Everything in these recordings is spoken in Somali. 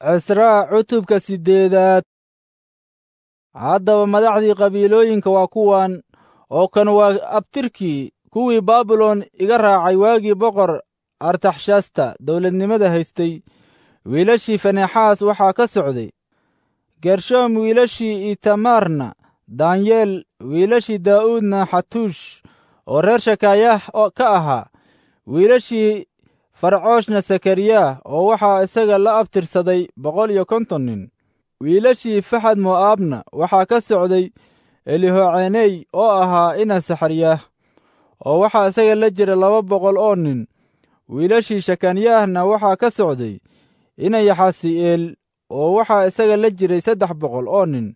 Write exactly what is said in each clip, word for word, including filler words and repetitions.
Cisraa cutubka siddeedaad. Haddaba madaxdii qabiilooyinka waa kuwan, oo kan waa abtirkii kuwii Baabilon iga raacay waagii boqor Artaxshasta dawladnimada haystay. Wiilashii Finexaas waxaa ka socday Gershoom, wiilashii Itamaarna Daanyeel, wiilashii Daa'uudna Xatuush oo reer Shakaayah ka ahaa, wiilashii Farcooshna Sakariyah, oo waxaa isaga la abtirsaday boqol iyo konton nin. Wiilashii Faxad Mo'aabna waxaa ka socday Elihoceney oo ahaa ina Saxariyah, oo waxaa isaga la jira laba boqol oo nin. Wiilashii Shekanyahna waxaa ka socday ina Yaxasi'eel, oo waxaa isaga la jiray saddex boqol oo nin.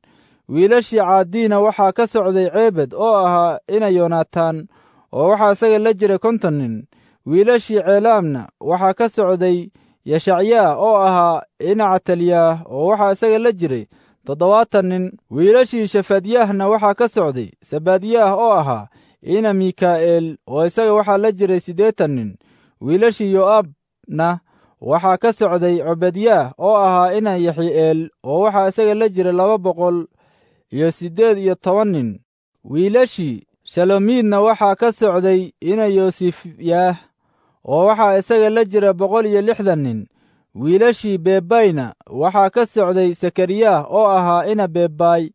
Wiilashii Caadiina waxaa ka socday Ceebed oo ahaa ina Yonatan, oo waxaa isaga la jiray konton nin. Wiilashii Ceelaamna waxaa ka socday Yeshacyaah oo ahaa ina Catalyaah, oo waxaa isaga la jiray toddobaatan nin. Wiilashii Shefadyahna waxaa ka socday Sebadyaah oo ahaa ina Mikaa'eel, oo isaga waxaa la jiray siddeetan nin. Wiilashii Yo'aabna waxaa ka socday Cobadyaah oo ahaa ina Yexi'eel, oo waxaa isaga la jiray laba boqol iyo siddeed iyo toban nin. Wiilashii Shalomiidna waxaa ka socday ina Yoosifyaah, oo waxaa isaga la jira boqol iyo lixdan nin. Wiilashii Bebayna waxaa ka socday Sakariyah oo ahaa ina Bebay,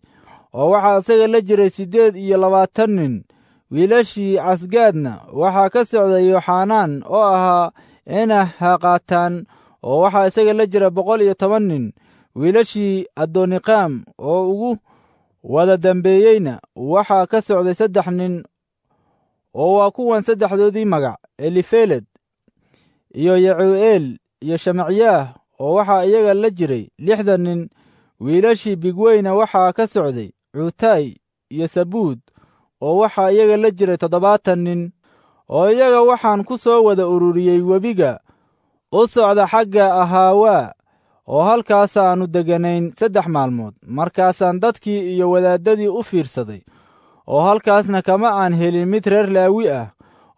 oo waxaa isaga la jiray siddeed iyo labaatan nin. Wiilashii Casgaadna waxaa ka socday Yoxanaan oo ahaa ina Haqataan, oo waxaa isaga la jira boqol iyo toban nin. Wiilashii Adoniqaam oo ugu wada dambeeyeyna waxaa ka socday saddex nin, oo waa kuwan saddexdoodii magac: Elifeled iyo Yacuu'eel iyo Shemacyaah, oo waxaa iyaga la jiray lixdan nin. Wiilashii Bigweyna waxaa ka socday Cuutay iyo Sabuud, oo waxaa iyaga la jiray toddobaatan nin. Oo iyaga waxaan ku soo wada ururiyey webiga u socda xagga Ahaawaa, oo halkaasaannu degganayn saddex maalmood. Markaasaan dadkii iyo wadaaddadii u fiirsaday, oo halkaasna kama aan helin mid reer Laawi ah.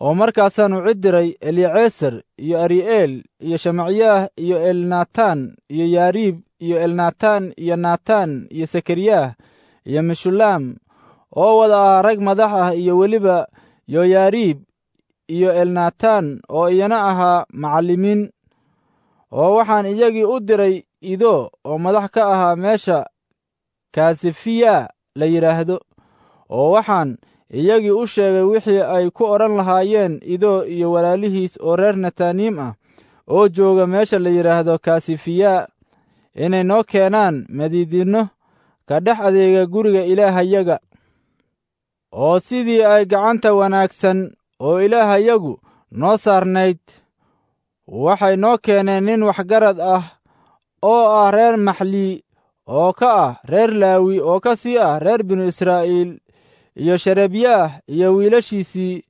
Oo markaasaannu cid diray Eliceesar iyo Ari'eel iyo Shemacyaah iyo Elnatan iyo Yaariib iyo Elnatan iyo Natan iyo Sakariyah iyo Meshulaam, oo wada ah rag madax ah, iyo weliba Yoyaariib iyo Elnatan oo iyana ahaa macallimiin. Oo waxaan iyagii u diray Ido oo madax ka ahaa meesha Kaasifiya la yidhaahdo, oo waxaan iyagii u sheegay wixii ay ku odhan lahaayeen Ido iyo walaalihiis oo reer Netaniim ah oo jooga meesha la yidhaahdo Kaasifiya, inay noo keenaan madiidinno ka dhex adeega guriga Ilaahayaga. Oo sidii ay gacanta wanaagsan oo Ilaahayagu noo saarnayd, waxay noo keeneen nin waxgarad ah oo ah reer Maxlii, oo ka ah reer Laawi, oo ka sii ah reer binu Israa'iil, iyo Sherebyaah iyo wiilashiisii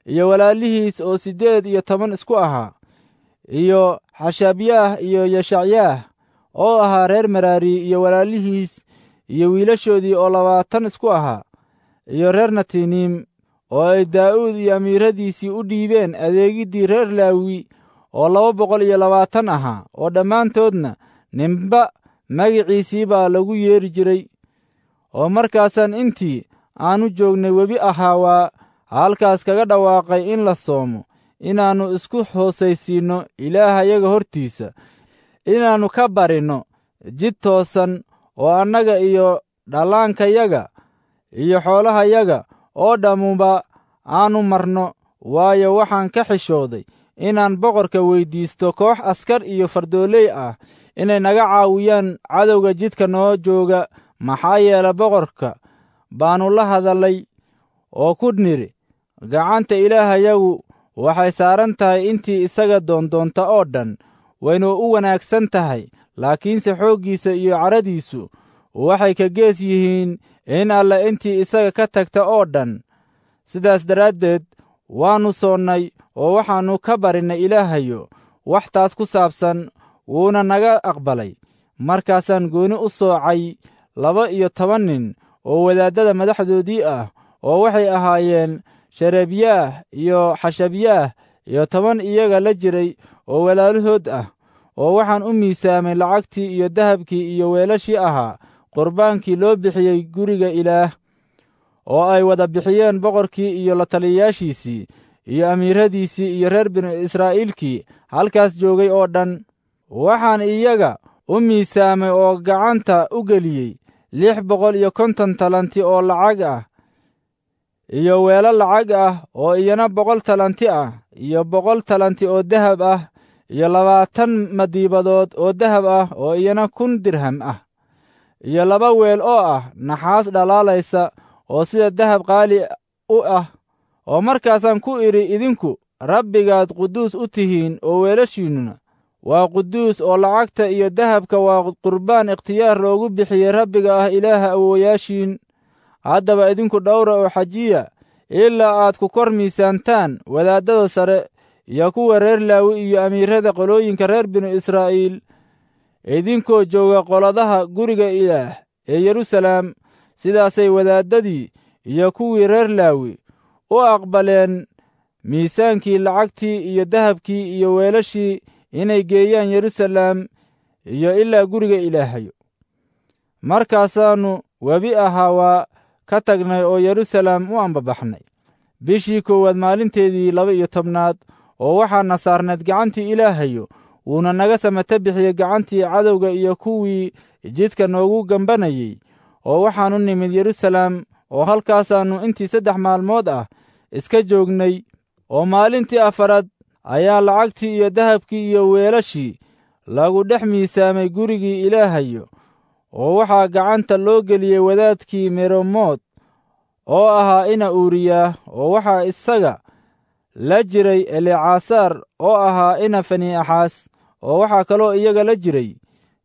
iyo walaalihiis oo siddeed iyo toban isku ahaa, iyo Xashabyaah iyo Yeshacyaah oo ahaa reer Meraari iyo walaalihiis iyo wiilashoodii oo labaatan isku ahaa, iyo reer Netiniim oo ay Daa'uud iyo amiiradiisii u dhiibeen adeegiddii reer Laawi oo laba boqol iyo labaatan ahaa, oo dhammaantoodna ninba magiciisii baa lagu yeeri jiray. Oo markaasaan intii aannu joognay webi Ahaawaa halkaas kaga dhawaaqay in la soomo, inaannu isku hoosaysiinno Ilaahayaga hortiisa, inaannu ka barinno jid toosan oo annaga iyo dhallaankayaga iyo xoolahayaga oo dhammuba aannu marno, waayo, waxaan ka xishooday inaan boqorka weyddiisto koox askar iyo fardooley ah inay naga caawiyaan cadowga jidka noo jooga. Maxaa yeele, boqorka baannu la hadallay oo ku nidhi, gacanta Ilaahayagu waxay saaran tahay intii isaga doondoonta oo dhan, waynu u wanaagsan tahay, laakiinse xooggiisa iyo cadhadiisu waxay ka gees yihiin in alla intii isaga ka tagta oo dhan. Sidaas daraaddeed waannu soonnay oo waxaannu ka barinnay Ilaahayo wax taas ku saabsan, wuuna naga aqbalay. Markaasaan gooni u soocay laba iyo toban nin oo wadaaddada madaxdoodii ah, oo waxay ahaayeen Sherebyaah iyo Xashabyaah iyo toban iyaga la jiray oo walaalahood ah, Oo waxaan u miisaamay lacagtii iyo dahabkii iyo weelashii ahaa qurbaankii loo bixiyey guriga Ilaah, oo ay wada bixiyeen boqorkii iyo la taliyayaashiisii iyo amiiradiisii iyo reer binu Israa'iilkii halkaas joogay oo dhan. Waxaan iyaga u miisaamay oo gacanta u geliyey lix boqol iyo konton talanti oo lacag ah, iyo weelo lacag ah oo iyana boqol talanti ah, iyo boqol talanti oo dahab ah, iyo labaatan madiibadood oo dahab ah oo iyana kun dirham ah, iyo laba weel oo ah naxaas dhalaalaysa oo sida dahab qaali u ah. Oo markaasaan ku idhi, idinku Rabbigaad quduus u tihiin, oo weelashiinnuna waa quduus, oo lacagta iyo dahabka waa qurbaan ikhtiyaar loogu bixiyey Rabbiga ah Ilaaha awowayaashiin. Haddaba idinku dhowra oo xajiya ilaa aad ku kor miisaantaan wadaaddada sare iyo kuwa reer Laawi iyo amiirada qolooyinka reer binu Israa'iil, idinkoo jooga qoladaha guriga Ilaah ee Yeruusalaam. Sidaasay wadaaddadii iyo kuwii reer Laawi u aqbaleen miisaankii lacagtii iyo dahabkii iyo weelashii inay geeyaan Yeruusalaam iyo ilaa guriga Ilaahayo. Markaasaannu webi ahaa waa ka tagnay oo Yeruusalaam u ambabaxnay bishii koowaad maalinteedii laba iyo tobnaad, oo waxaana saarnayd gacantii Ilaahayo, wuuna naga samata bixiyey gacantii cadowga iyo kuwii jidka noogu gambanayey. Oo waxaannu nimid Yeruusalaam, oo halkaasaannu intii saddex maalmood ah iska joognay. Oo maalintii afaraad ayaa lacagtii iyo dahabkii iyo weelashii lagu dhex miisaamay gurigii Ilaahayo, oo waxaa gacanta loo geliyey wadaadkii Meremood oo ahaa ina Uuriyaah, oo waxaa isaga la jiray Elecasaar oo ahaa ina Faniixaas, oo waxaa kaloo iyaga la jiray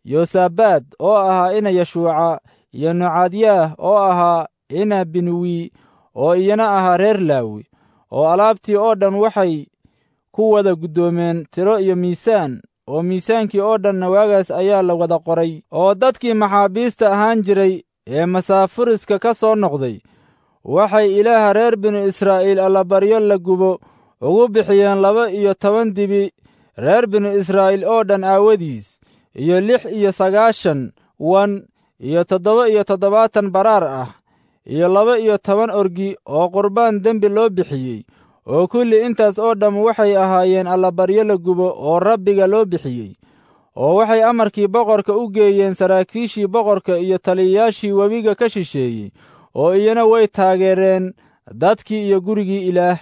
Yosabaad oo ahaa ina Yeshuuca, iyo Nocadyaah oo ahaa ina Binuwi, oo iyana ahaa reer Laawi. Oo alaabtii oo dhan waxay ku wada guddoomeen tiro iyo miisaan, oo miisaankii oo dhanna waagaas ayaa la wada qoray. Oo dadkii maxaabiista ahaan jiray ee masaafuriska ka soo noqday waxay Ilaaha reer binu Israa'iil allabaryo la gubo ugu bixiyeen laba iyo toban dibi reer binu Israa'iil oo dhan aawadiis, iyo lix iyo sagaashan wan, iyo toddoba iyo toddobaatan baraar ah, iyo laba iyo toban orgi oo qurbaan dembi loo bixiyey. Oo kulli intaas oo dhamm waxay ahaayeen allabaryo la gubo oo Rabbiga loo bixiyey. Oo waxay amarkii boqorka u geeyeen saraakiishii boqorka iyo taliyayaashii webiga ka shisheeyey, oo iyana way taageereen dadkii iyo gurigii Ilaah.